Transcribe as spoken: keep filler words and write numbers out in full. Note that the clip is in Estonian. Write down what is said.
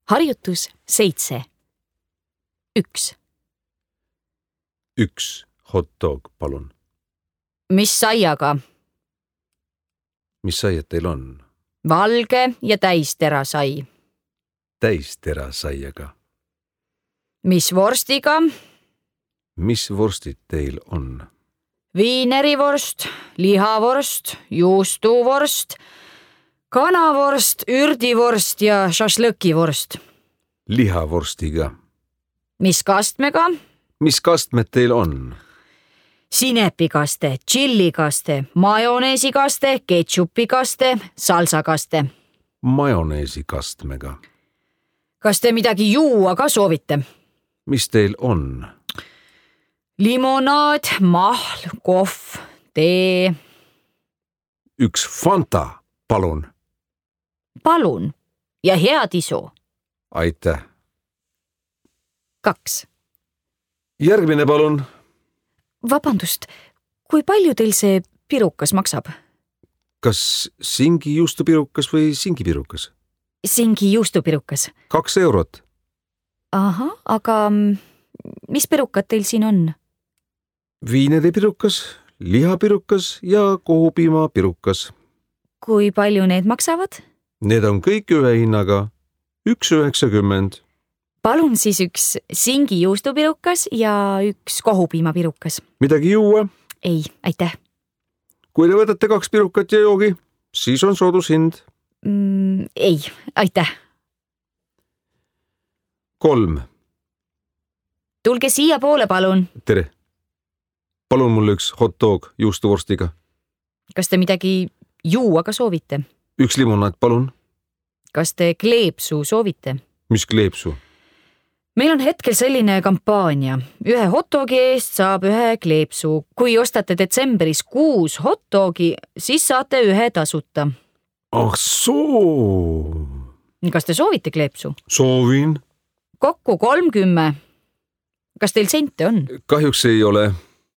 Harjutus seitse. Üks. Üks hot dog, palun. Mis saiaga? Mis saiad teil on? Valge ja täistera sai. Täistera saiaga. Mis vorstiga? Mis vorstid teil on? Viinerivorst, lihavorst, juustuvorst, kanavorst, ürdivorst ja šašlõkivorst. Lihavorstiga. Mis kastmega? Mis kastmed teil on? Sinepikaste, tšillikaste, majoneesikaste, ketšupikaste, salsakaste. Majoneesi kastmega. Kas te midagi juua ka soovite? Mis teil on? Limonaad, mahl, kohv, tee. Üks Fanta, palun. Palun ja head isu. Aitäh. Kaks. Järgmine, palun. Vabandust, kui palju teil see pirukas maksab? Kas singi juustupirukas või singipirukas? Singi juustupirukas. Kaks eurot. Aha, aga mis pirukad teil siin on? Viineripirukas, lihapirukas ja kohupiimapirukas. Kui palju need maksavad? Need on kõik ühe hinnaga. Üks üheksakümmend. Palun siis üks singi juustupirukas ja üks kohupiimapirukas. Midagi juua? Ei, aitäh. Kui te võtate kaks pirukat ja joogi, siis on soodushind. Mm, ei, aitäh. Kolm. Tulge siia poole, palun. Tere. Palun mulle üks hot dog juustuvorstiga. Kas te midagi juua ka soovite? Üks limonaad, palun. Kas te kleepsu soovite? Mis kleepsu? Meil on hetkel selline kampaania. Ühe hot dogi eest saab ühe kleepsu. Kui ostate detsembris kuus hot dogi, siis saate ühe tasuta. Ah soo! Kas te soovite kleepsu? Soovin. Kokku kolmkümmend. Kas teil sente on? Kahjuks ei ole.